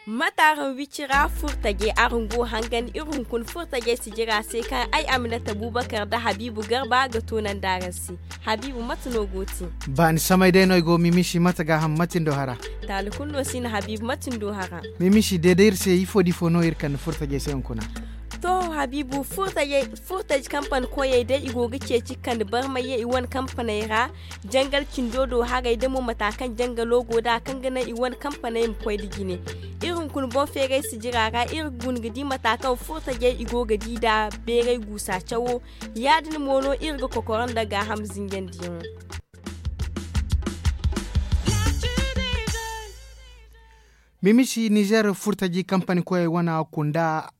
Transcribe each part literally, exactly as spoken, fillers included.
Mate araŋ wicira furtajey araŋ go hangan iri hunkuna furtajey sijira se kaŋ ay aminata bubakar nda habiibu garba ga toonandi araŋ se. Habiibu mate no go te? Baani samay day no ay go mimisi mate gaaham mate ni do hara? Taali kulu no si no habiibu mate ni do hara? Mimisi deeda iri se ifo da ifo no iri kande furtajey se hunkuna? To, habiibu furtajey furtaji kampani koyey day i go ga ceeci ga kande barmay ye i wane kampaney ra. Jangal cindo do haray da mo mata kaŋ jangalo go nd'a kaŋ ga naŋ i wane kampaney ma koy nda jine. Iri hunkuna boŋ feeray sijira ra iri ga guna ga di mata kaŋ furtajey i go ga di nd'a beeray guusa cawo. Ya- din mo no iri ga kokoro nda gaaham zinjandiyaŋo. Mimisi nizer furtaji kampani koyey wana kunda.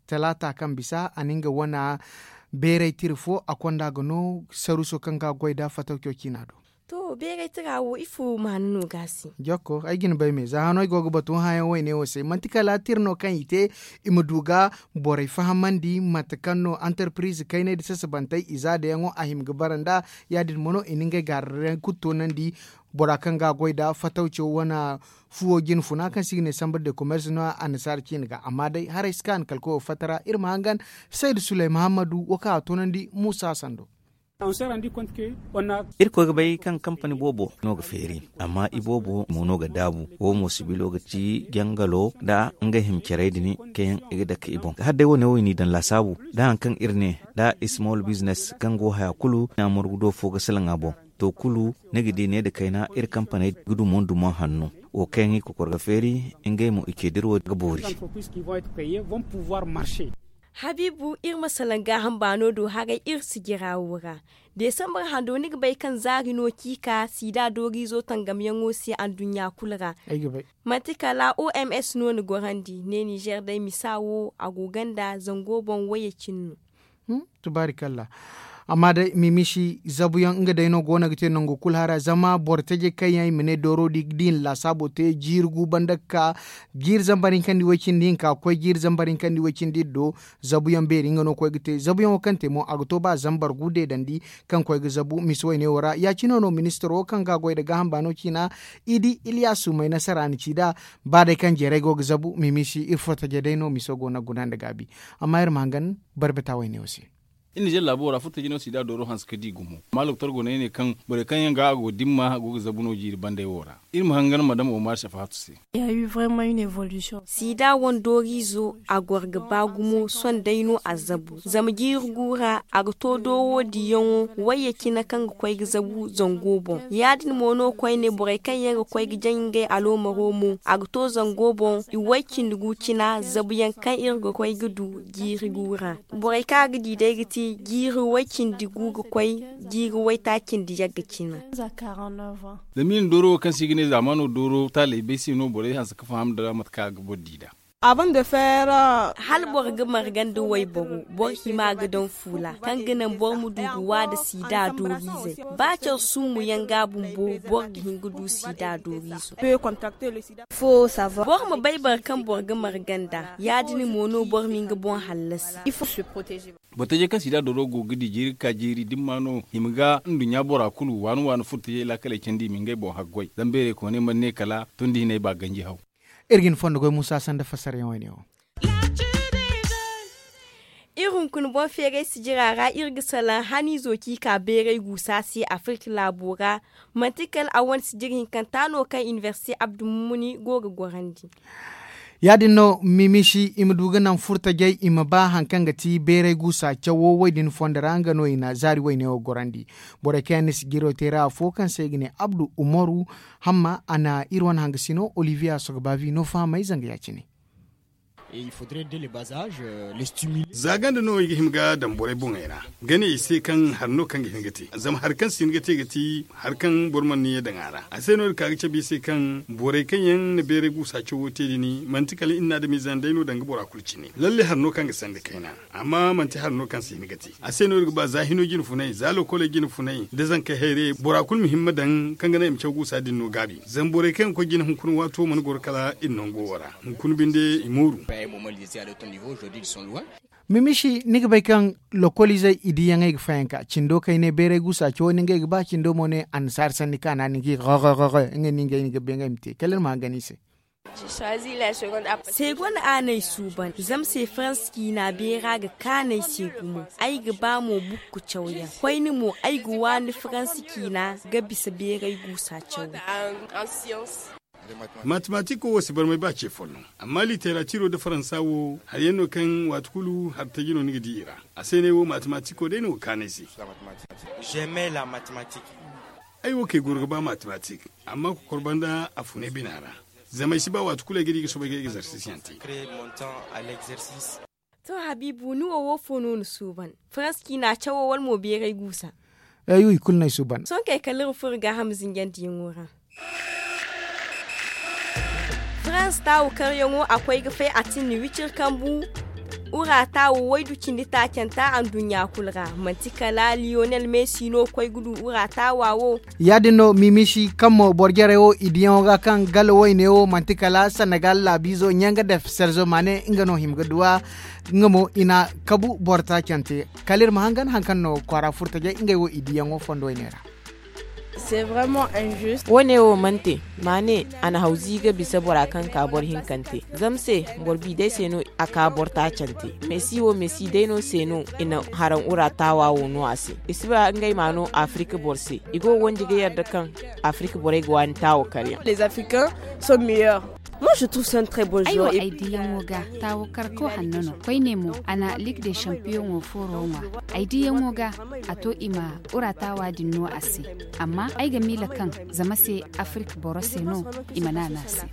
Talaata kaŋ bisa a na nga wana beeray tira fo a konda ga no saruuso kaŋ ga goy nd'a fatawco ciina do. To beeray tira wo ifo maana no ga a se? Jokko ay ga ni bay me za hano ay go ga batu hããyaŋ wayne wo se manti kala tira no kaŋ i te i ma du ga borey fahamandi mate kaŋ no antarpiriz kaynay nda sasabantey i za dayaŋo a hima ga bara nd'a. Ya- din mo no i na ngey gaararey kulu toonandi. Bora kaŋ ga a goy nd'a fatawco wane fuwo jinfuna kaŋ se i ga ne sambre de komers no ya annasaara ciine ga amma day haray si kaanu kala koyo fatta ra iri ma hangan. Saydu suley mahammadu wo kaŋ a toonandi muusa sando. Iri koy ga bay kaŋ kampani boobo no ga feeri amma i boobo mo no ga daabu. Wo mo sibilo ga ci jangalo nda nga hima carey din kaŋ yaŋ i ga dake i boŋ hala day wo- ne wo i n'i daŋ laasaabu nda hari kaŋ iri ne nda small business kaŋ go haya kulu i na morgu do fo ga salaŋ a boŋ. To kulu ni ga di ne nda kayna iri kampaney ga dumo nda dumo hanno. Wo kaŋ yaŋ i kokor ga feeri ngey mo i ce dira wo ga boori. Habiibu iri ma salaŋ gaaham baano do haray iri sijira wo ra. Deesambar hando ni ga bay kaŋ zaari no ciika siida dooriizo tangamyaŋo se anduɲɲa kulu ra. Manti kala oms no ni gorandi ne ninzeer day misa wo a go ganda zango boŋ wayye cine no. Tubaarikalla. Amma day mimisi zabuyaŋ nga day no go no ga te nangu kulu hara zama boro tajey kaŋ yaŋ i ma ne dooro da i ga di i na laasaabo te jiiri gu banda ga ka jiiri zambar hinka nda i way cindi hinka ga koy jiiri zambar hinka nda i way cindi iddo. Zabuyaŋ beeri nga no ga koy ga te zabuyaŋo kaŋ te mo a ga to ba zambar gu deedandi kaŋ ga koy ga zabu misi wayne wo ra ya- cine no ministiro kaŋ ga a goy nda gaaham baano ciina. I di iliyasu may nasara na ci nd'a. Ba day kaŋ jeeray go ga zabu mimisi iri furo tajey day no miso go no ga guna nda gaabi. Amma iri ma hangan barbata wayne wo se. Iri na jeeri laabo ra furo tajey no si da dooro hanse ga di gumo amma loktor go no ay ne kaŋ borey kaŋ yaŋ ga a go dimma go ga zabu no jiiri banday wo ra. Iri ma hangan madam omar safahatu se. Sida wane dooriizo a goro ga ba gumo sohõ day no a zabu zama jiiri gu ra a ga to doowo diyaŋo wayye cine kaŋ ga koy ga zabu zango boŋ ya- din mo no koyne borey kaŋ yaŋ ga koy ga jaŋ ngey aloomaro mo a ga to zango boŋ i way cindi gu cina zabuyaŋ kaŋ iri ga koy ga du jiiri gu ra. Borey kaŋ a ga di day ga ti jiiri way cindi gu ga koy jiiri waytaaci nda yagga cina. Zama i na dooro wo kaŋ se i ga ne zaamaano dooro taaley bay se no borey hanse ga faham nda mate kaŋ a ga boro di nd'a. Hala boro ga marga nda wayboro boro hima ga daŋ fuula kaŋ ga naŋ boro ma du ga wa nda siida dooriizey. Ba care summu yaŋ ga bumbo boro ga hin ga du siida dooriizo. Boro ma bay boro kaŋ boro ga marga nd'a ya- din mo no boro ma nga boŋ hallasi. Boro tajey kaŋ siida dooro go ga di jiiri ga ka jiiri dimma no i ma ga nduɲɲa bora kulu waani waani furo tajey laakaley candi i ma ngey boŋ haggoy zama beerey kooney mana ne kala tondi hinay ba ganji haw. Iri ga ni fondo goy muusa sanda fassarayaŋ wayne wo. Iri hunkuna boŋ feeray sijira ra iri ga salaŋ haniizo kaŋ i ka beeray guusa se afirka laabo ra. Manti kala a wane sijiri hinkanta no kaŋ inibersite abdu mummuni go ga gorandi. Ya- din no mimisi i ma du ga naŋ furtajey i ma ba hari kaŋ ga ti beeray guusa cawo wo- din fondo ra nga no i na zaari wayne wo gorandi. Borey kaŋ yaŋ na sijiro te ra afo kaŋ se i ga ne abdu umaru hamma a na iri wane hangasino olivier asoga baabi no fahamay zanga ya- cine. Za ganda no i ga hima ga daŋ borey boŋey ra, ga ne i se kaŋ hari no kaŋ ga hin ga te. Zama hari kaŋ si hin ga te ga ti hari kaŋ boro mana ni ye daŋ a ra. A se no iri ka ga cabe i se kaŋ borey kaŋ yaŋ na beeray guusa cawo te din manti kala iri na adamiize yaŋ day no daŋ ga bora kulu cine. Lalle hari no kaŋ ga sanda kayna, amma manti hari no kaŋ si hin ga te. A se no iri ga ba za hino jine funay, za lokoley jine funay, da zankey hayre bora kulu ma himma daŋ kaŋ ga naŋ i ma caw guusa din no gaabi. Zama borey kaŋ yaŋ ga koy jine hunkuna waato mana goro kala iri nango wo ra. Hunkuna binde i mooru. Mimisi, ni ga bay kaŋ lokoliizey i diyaŋey ga fayanka cindo kayne beeray guusa cawo ni ngey ga ba cindo mo ne annasaara sanni kaana ni ga ga ngey ni ngey ni ga bay ngey ma te kala iri ma hangan i se. Segonda a n'ay suuban zama se faransa ciina beera ga kaanay se gumo. Ay ga ba mo bukku cawyaŋ koyne mo ay ga waani faransa ciina ga bisa beeray guusa caw. Matematiko wo si barmay ba ce folloŋ, amma literatiro nda faransa wo hari yaŋ no kaŋ waati kulu hari taji no ni ga di i ra. A se ne wo matematiko day no ga kaanay se. Ay wo kay goro ga ba matematik, amma kokor banda a funay bina ra. Zama ay si ba waati kulu ay ga di ga soobay ga egzarsis yaŋ te. To habiibu ni wo wo fo no ni suuban? Faransa ciina cawo wala mo beeray guusa? Ay wo i kulu no ay suuban. Sohõ kay kala iri furo gaaham zinjandiyaŋo ra. Farans taawu karyaŋo a koy ga fay a tin ni wicir kambu. Ura taawu waydu cindi taacanta anduɲɲa kulu ra manti kala liyonel mesi no koy ga du ura taawa wo. Ya- din no mimisi kaŋ mo boro jarey wo i diyaŋo ga kaŋ gala wayne wo manti kala senegal laabiizo ɲanga def serzo maane nga no hima ga duw'a. Nga mo i na kabu boro taacante kala iri ma hangan hari kaŋ no kwaara furtajey ngey wo i diyaŋo fondo wayne ra. Wo- ne wo mana te. Ma ne a na hawzi ga bisa bora kaŋ ka boro hinkante zama se boro bi day se no a ka boro taacante. Mesi wo mesi day no se no i na haraŋ ura taawa wo no a se. I si ba ngey ma no afirika boro se. I go ga wandi ga yarda kaŋ afirika borey ga waani taawo karyaŋ. Ay wo ay diyaŋo ga taawo karko hanno no koyne mo a na lig de champiyoŋo fooro ŋwa. Ay diyaŋo ga a to i ma ura taawa din no a se. Amma ay ga miila kaŋ zama se afirik boro se no i mana no a se.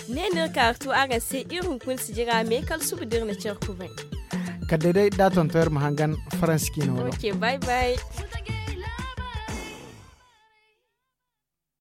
Ne no iri ka ga tu araŋ se iri hunkuna sijira me kala suba da iri na care kubay. Kala day day da a tonton iri ma hangan faransi ciina wano. Bye bye.